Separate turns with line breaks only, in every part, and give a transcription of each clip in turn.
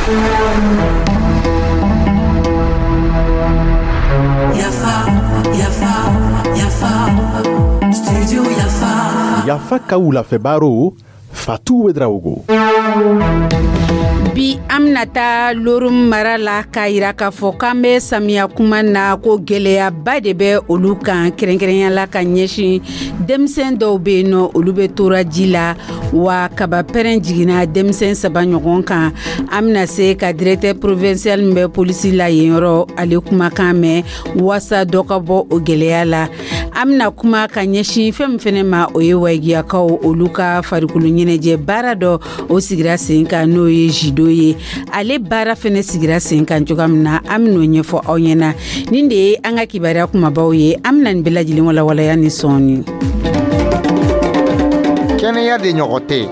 Yafa, yafa, yafa, studio Yafa.
Yafa ka wulafɛ baro, Fatu Ouedraogo.
Bi, an bɛna taa Lorum mara la k'a yira k'a fɔ k'an bɛ samiya kuma na, ko gɛlɛyaba de bɛ olu kan, kɛrɛnkɛrɛnya la ka ɲɛsin denmisɛn dɔw bɛ yen nɔ, olu bɛ tora ji la, wa kaba pɛrɛn jiginna denmisɛn saba ɲɔgɔn kan. An bɛna se ka directeur provincial min bɛ polisi la yen yɔrɔ, ale kumakan mɛn waasa dɔ ka bɔ o gɛlɛya la. An bɛna kuma ka ɲɛsin fɛn min fɛnɛ ma, o ye Wayigiyakaw olu ka farikolo ɲɛnajɛ baara dɔ, o sigira sen kan, n'o ye judo ye. Ale baara fɛnɛ sigira sen kan cogoya min na, an ben'o ɲɛfɔ aw ɲɛna. Nin de ye an ka kibaruya kumabaw ye. An bena nin bɛɛ lajɛlen walawalaya ni sɔɔni.
Kɛnɛya de ɲɔgɔn tɛ.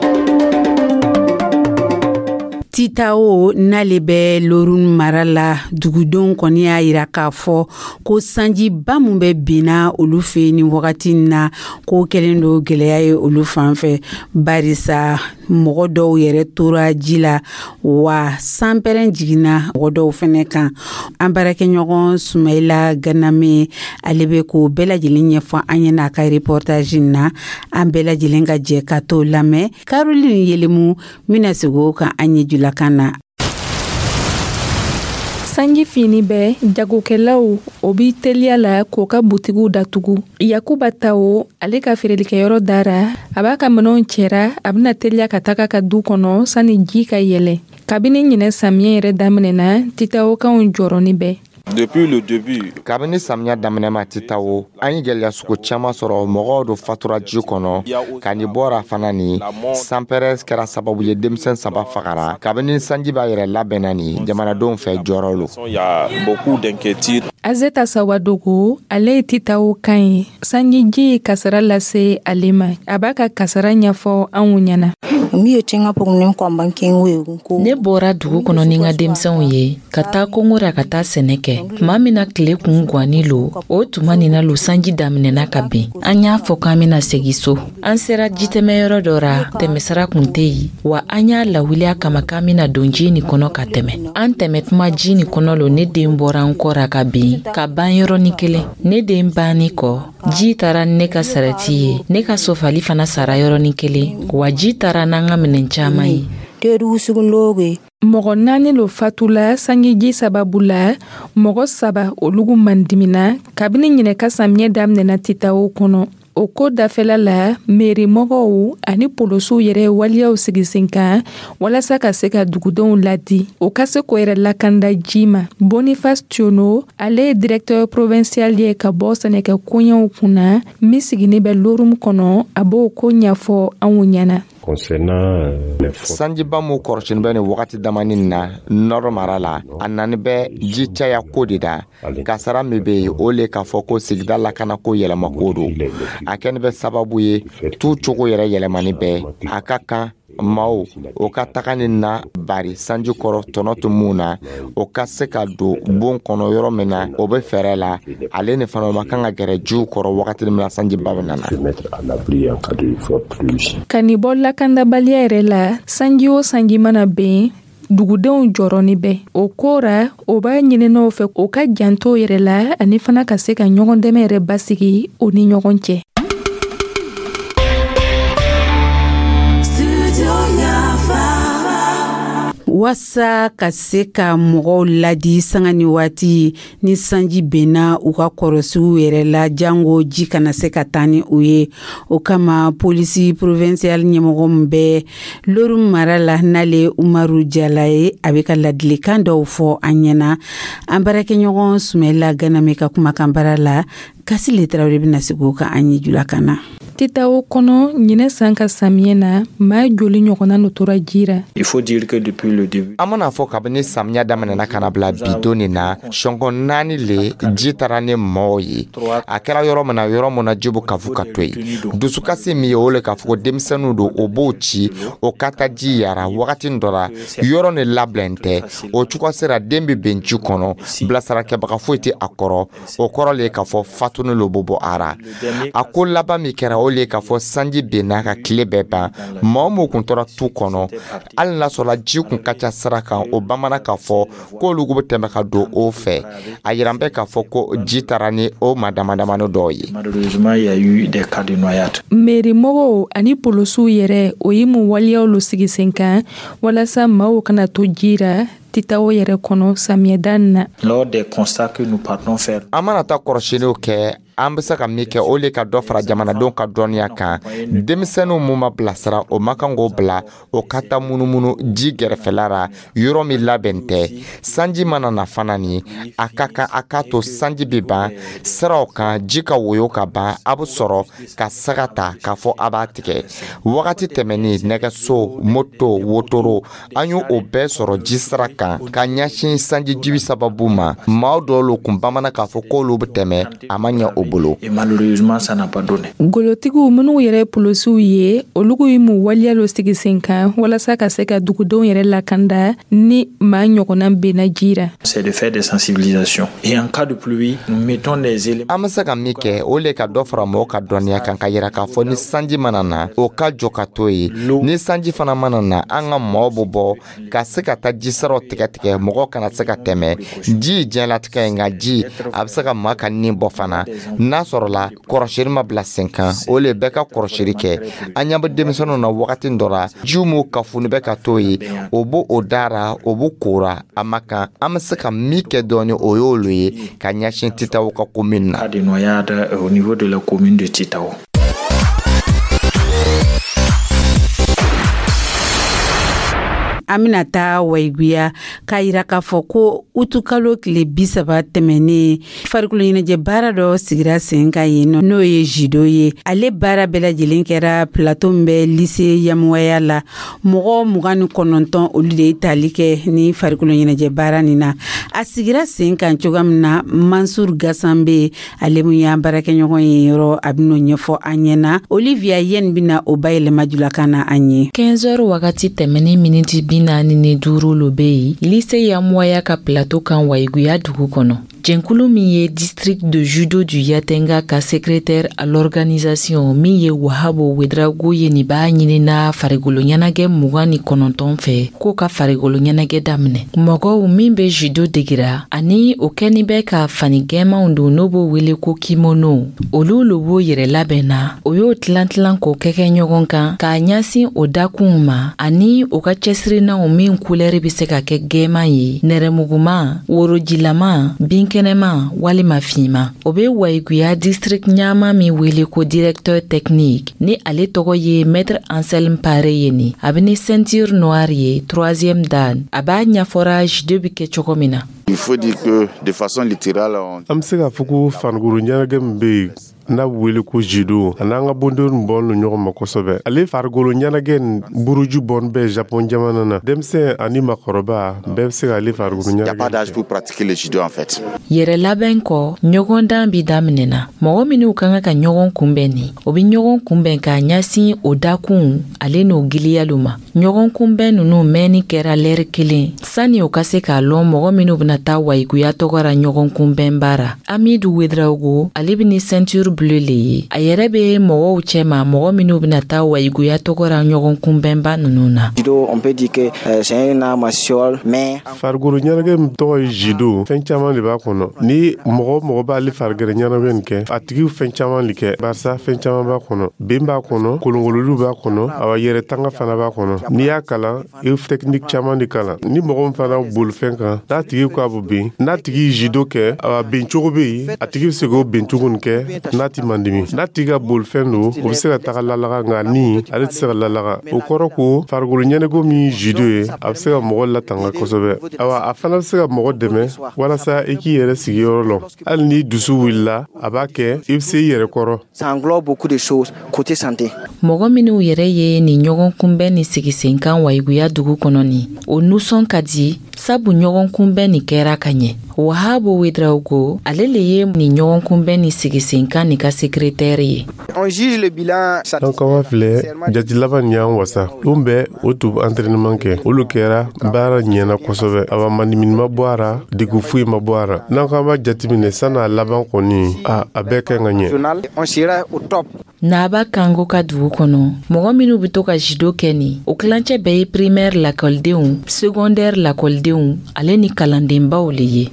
Titao n'ale bɛ Lorun mara la, dugudenw kɔni y'a yira k'a fɔ ko sanjiba min bɛ binna olu fɛ nin wagati in na, ko kɛlen don gɛlɛya ye olu fan fɛ, barisa mɔgɔ dɔw yɛrɛ tora ji la, wa sanpɛrɛn jiginna mɔgɔ dɔw fɛnɛ kan. An baarakɛɲɔgɔn Sumayila Ganame, ale bɛ k'o bɛɛ lajɛlen ɲɛfɔ an ɲɛna a ka reportage na. An bɛɛ lajɛlen ka jɛ ka t'o lamɛn. Caroline Yelemu bɛna segin o kan an ye julakan na.
Sanji fini bɛ jagokɛlaw o bi teliya la k'o ka butigiw datugu. Yakuba Tawo, ale ka feerelikɛyɔrɔ dara, a b'a ka minɛnw cɛra, a bɛna teliya ka taga ka du kɔnɔ sani ji ka yɛlɛ. Kabini ɲinɛ samiyɛ yɛrɛ daminɛna, Titawokanw jɔrɔni bɛ.
Depuis le début,
Kabini samiya daminɛ ma Titawo, an ye gɛlɛya sugu caman sɔrɔ. Mɔgɔw do fatura ji kɔnɔ ka nin bɔra fana. Ni sanpɛrɛ kɛra sababu ye, denmisɛn saba fagara. Kabini sanji b'a yɛrɛ labɛnna ni jamanadenw fɛ, jɔrɔ lo.
Il y a beaucoup d'inquiétudes.
Azeta Sawadogo, ale ye Titawo kan ye. Sanjiji ye kasara lase ale ma. A b'a ka kasara ɲɛfɔ anw ɲɛna.
Ne bɔra dugu kɔnɔ ni n ka denmisɛnw ye ka taa kongo ra ka taa sɛnɛ kɛ. Tuma min na tile kun gwanni lo, o tuma nin na lo sanji daminɛna ka ben. An y'a fɔ k'an bena segi so. An sera jitɛmɛyɔrɔ dɔ ra, tɛmɛsira kun tɛ yen, wa an y'a lawuli a kama k'an bena don ji nin kɔnɔ ka tɛmɛ. An tɛmɛ tuma ji nin kɔnɔ lo, ne den bɔra n kɔ ra ka bin ka ban yɔrɔnin kelen. Ne den banni kɔ, ji taara ni ne ka sarati ye. Ne ka sofali fana sara yɔrɔnin kelen, wa ji taara n'an ka minɛn caaman ye.
Mɔgɔ naani lo fatula sanjiji sababu la, mɔgɔ saba olugu mandimina kabini ɲinɛ ka samiyɛ daminɛna Titawo kɔnɔ. O ko dafɛla la, meri mɔgɔw ani polosiw yɛrɛ ye waleyaw sigi sen kan walasa ka se ka dugudenw ladi, o ka se k'o yɛrɛ lakanda ji ma. Boniface Tiono, ale ye directeur provincial ye ka bɔ sɛnɛkɛ koɲɛw kunna min sigini bɛ Lorum kɔnɔ, a b'o ko ɲɛfɔ anw ɲɛna.
Sanjiba mun kɔrɔsini bɛ nin wagati damani na nɔrɔ mara la, a nani bɛ ji caya ko de da. Kasara min bɛ yen, o le k'a fɔ ko sigida lakanako yɛlɛmako don. A kɛni bɛ sababu ye tu cogo yɛrɛ yɛlɛmani bɛ. A ka kan maaw o ka taga ni na bari sanji kɔrɔ tɔnɔ tɛ mun na, o ka se ka don bon kɔnɔ yɔrɔ min na, o bɛ fɛɛrɛ la. Ale ni fana, o ma kan ka gɛrɛ jiw kɔrɔ wagati min na sanjiba bɛ nana.
Ka nin bɔ lakandabaliya yɛrɛ la, sanji o sanji mana ben, dugudenw jɔrɔni bɛ o ko ra. O b'a ɲininaw fɛ o ka janto yɛrɛ la ani fana ka se ka ɲɔgɔn dɛmɛ yɛrɛ basigi o ni ɲɔgɔn cɛ.
Studio Yafa.
Waasa ka se ka mɔgɔw ladi sanga ni waati ni sanji benna, u ka kɔrɔsiw yɛrɛ la jango ji kana se ka taa ni u ye, o kama polisi provincial ɲɛmɔgɔ min bɛ Loru mara la, n'ale Umaru Jala ye, a bɛ ka ladilikan dɔw fɔ an ɲɛna. An baarakɛɲɔgɔn Sumayila Ganame ka kumakan baara la, Kasile Tarawele bɛna sigi o kan an ye julakan na.
Titawo kɔnɔ, ɲinɛ san ka samiyɛ na, maa joli ɲɔgɔnna no tora ji ra?
Il faut dire que depuis le début,
An mana fɔ, kabini samiya daminɛna ka na bila bi don nin na, sɔngɔ naani le ji taara ni mɔɔw ye. A kɛra yɔrɔ min na, yɔrɔ min na ji bɛ kafu ka to yen. Dusukasi min ye, o le k'a fɔ ko denmisɛnninw don, o b'o ci o ka taa ji yara wagati dɔ la, yɔrɔ ni labɛn tɛ. O cogo sera, den bɛ ben ji kɔnɔ, bilasarakɛbaga foyi tɛ a kɔrɔ. O kɔrɔ le ye k'a fɔ fatuni lo bɛ bɔ a ra. A ko laban min kɛra, o le ye k'a fɔ sanji benna ka tile bɛɛ ban. Maa o mɔgɔ kun tora tu kɔnɔ, hali n'a sɔrɔla ji kun ka ca sira kan, o bamana k'a fɔ k'olu bɛ tɛmɛ ka don o fɛ. A yiran bɛ k'a fɔ ko ji taara ni o maa dama damani dɔw ye.
Meri mɔgɔw ani polosiw yɛrɛ, o ye mun waleyaw lo sigi sen kan walasa maaw kana to ji ra Titawo yɛrɛ kɔnɔ samiyɛda na?
An mana taa kɔrɔsiyɛnniw kɛ, an bɛ se ka min kɛ, o le ka dɔ fara jamanadenw ka dɔnniya kan. Denmisɛnninw mun ma bilasira, o man kan k'o bila o ka taa munumunu ji gɛrɛfɛla la, yɔrɔ min labɛn tɛ. Sanji mana na fana, ni a ka kan a k'a to sanji bɛ ban siraw kan, ji ka woyo ka ban, a bɛ sɔrɔ ka saga ta k'a fɔ a b'a tigɛ. Wagati tɛmɛnen, nɛgɛso, moto, wotoro, an y'o o bɛɛ sɔrɔ ji sira kan ka ɲɛsin sanji jibi sababu ma. Maa dɔw lo kun bamana k'a fɔ k'olu bɛ tɛmɛ, a ma ɲɛ o bolo.
Golotigiw minnu yɛrɛ polosiw ye, olu ye mun waleya lo sigi sen kan walasa ka se ka dugudenw yɛrɛ lakanda ni maa ɲɔgɔnna benna ji ra?
An bɛ se ka min kɛ, o le ka dɔ fara mɔgɔw ka dɔnniya kan, ka yira k'a fɔ ni sanji mana na, o ka jɔ ka to yen. Ni sanji fana mana na, an ka maaw bɛ bɔ ka se ka taa jisaraw tigɛ tigɛ, mɔgɔw kana se ka tɛmɛ. Ji ye diɲɛlatigɛ ye, nka ji a bɛ se ka maa ka nin bɔ fana, n'a sɔrɔla kɔrɔsiri ma bila sen kan. O le bɛɛ ka kɔrɔsiri kɛ. An ɲɛ bɛ denmisɛnninw na wagati dɔ la, jiw m'u kafoni bɛ ka to yen, o b'o o dara, o b'o kora a ma kan. An bɛ se ka min kɛ dɔɔni, o y'olu ye ka ɲɛsin Titawo ka commune na.
An bɛna taa Wayiguya k'a yira k'a fɔ ko utukalo tile 30 tɛmɛnen, farikolo ɲɛnajɛ baara dɔ sigira sen kan yen nɔ, n'o ye judo ye. Ale baara bɛɛ lajɛlen kɛra plateau min bɛ lycée Yamuwaya la. Mɔgɔ 29, olu de ye tali kɛ ni farikolo ɲɛnajɛ baara nin na. A sigira sen kan cogoya min na, Mansur Gasanbe, ale mun y'an baarakɛɲɔgɔn ye yɔrɔ, a bɛn'o ɲɛfɔ an ɲɛna. Olivia Yen bɛna o bayɛlɛma julakan na an ye.
15 heures wagati tɛmɛnen miniti 45 lo bɛ yen lycée Yamuwaya ka plateau kan Wayiguya dugu kɔnɔ. Jɛnkulu min ye district de judo du Yatenga ka secrétaire à l'organisation min ye Wahabo Wedrago ye, nin b'a ɲinina farikolo ɲɛnagɛ 29 fɛ k'o ka farikolo ɲɛnagɛ daminɛ. Mɔgɔw min bɛ judo degira ani o kɛni bɛ ka fani gɛmanw don, n'o b'o wele ko kimono, olu lo b'o yɛrɛ labɛn na. O y'o tilan tilan k'o kɛ kɛ ɲɔgɔn kan k'a ɲɛsin o dakunw ma, ani o ka cɛsirinaw min kulɛri bɛ se ka kɛ gɛman ye, nɛrɛmuguma, worojilama, binkɛnɛma walima finma. O bɛ Wayiguya district ɲama min wele ko directeur technique, ni ale tɔgɔ ye maître Anselme Pare ye, ni a bɛ ni ceinture noire ye, troisième dan. A b'a ɲɛfɔra judo bɛ kɛ cogo min na.
Il faut dire que de façon littérale,
an bɛ se k'a fɔ ko farikolo ɲɛnajɛ min bɛ yen n'a bɛ wele ko judo, a n'an ka bondenw bɔn don ɲɔgɔn ma kosɛbɛ. Ale farikolo ɲɛnajɛ nin buruju bɔn bɛ Japon jamana na. Denmisɛn ani makɔrɔba bɛɛ bɛ se k'ale farikolo
il n'y a pas d'âge pour pratiquer le judo en fait.
Yɛrɛ labɛn kɔ, ɲɔgɔndan bi daminɛna. Mɔgɔ minnu ka kan ka ɲɔgɔn kunbɛn nin, o bɛ ɲɔgɔn kunbɛn k'a ɲɛsin o dakun ale n'o giliyalu ma. Ɲɔgɔn kunbɛn ninnu mɛnni kɛra lɛri kelen sani o ka se k'a lɔn mɔgɔ minnu bɛna taa Wayiguya tɔgɔ ra ɲɔgɔn kunbɛnba ra. Amidu Wedraogo, ale bɛ ni ceinture bleue le ye. A yɛrɛ bɛ mɔgɔw cɛma, mɔgɔ minnu bɛna taa Wayiguya tɔgɔ ra ɲɔgɔn kunbɛnba ninnu na.
Judo, on peut dire que c'est un art martial, mais
farikolo ɲɛnajɛ min tɔgɔ ye judo, fɛn caman de b'a kɔnɔ. Ni mɔgɔ o mɔgɔ b'ale farikolo ɲɛnajɛ nin kɛ, a tigi fɛn caman de kɛ, barisa fɛn caman b'a kɔnɔ. Ben b'a kɔnɔ, kolonkololiw b'a kɔnɔ, awa yɛrɛ tanga fana b'a kɔnɔ. N'i y'a kalan, i bɛ technique caman de kalan. Ni mɔgɔ min fana bolifɛn kan, n'a tigi ko a bɛ ben, n'a tigi ye judo kɛ, awa ben cogo bɛ yen, a tigi bɛ se k'o ben cogo nin kɛ n'a ti mandimi. N'a tigi ka bolifɛn don, o bɛ se ka taga lalaga, nka ni ale tɛ se ka lalaga. O kɔrɔ ko farikolo ɲɛnajɛ min ye judo ye, a bɛ se ka mɔgɔ latanga kosɛbɛ. Awa a fana bɛ se ka mɔgɔ dɛmɛ walasa i k'i yɛrɛ sigiyɔrɔ lɔn. Hali ni dusu wulila, a b'a kɛ i bɛ se i yɛrɛ kɔrɔ.
Ça englobe beaucoup de choses côté santé.
Mɔgɔ minnu yɛrɛ ye nin ɲɔgɔn kunbɛn ni sigisenkan Wayiguya dugu kɔnɔ nin, o nusɔn ka di, sabu ɲɔgɔn kunbɛn nin kɛra ka ɲɛ. Wahabo Wedraogo, ale le ye nin ɲɔgɔnkunbɛn ni sigisenkan nin ka sekretɛri ye.
N'an kama filɛ, jati laban nin y'an wasa. Lon bɛɛ o tun entraînement kɛ, olu kɛra baara ɲɛna kosɛbɛ. Awa, mandimini ma bɔ a ra, degun foyi ma bɔ a ra. N'an ko an b'a jateminɛ san'a laban kɔni, a bɛɛ ka ɲi ka ɲɛ.
Naba Kango ka dugu kɔnɔ, mɔgɔ minw be to ka judo kɛ nin, o kilancɛ bɛɛ ye primaire lakɔlidenw, secondaire lakɔlidenw, ale ni kalandenbaw le ye.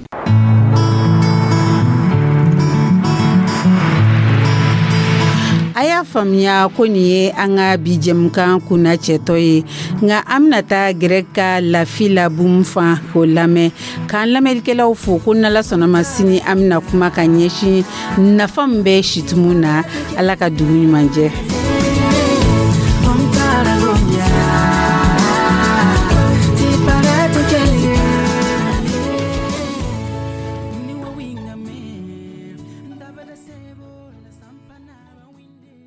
A y'a faamuya ko nin ye an ka bi jɛmukan kunna cɛtɔ ye, nka an bɛna taa gɛrɛ ka Lafi Labum fan k'o lamɛn, k'an lamɛnnikɛlaw fo ko n'Ala sɔnna ma, sini an bɛna kuma ka ɲɛsin nafa min bɛ situmu na. Ala ka dugu ɲuman jɛ.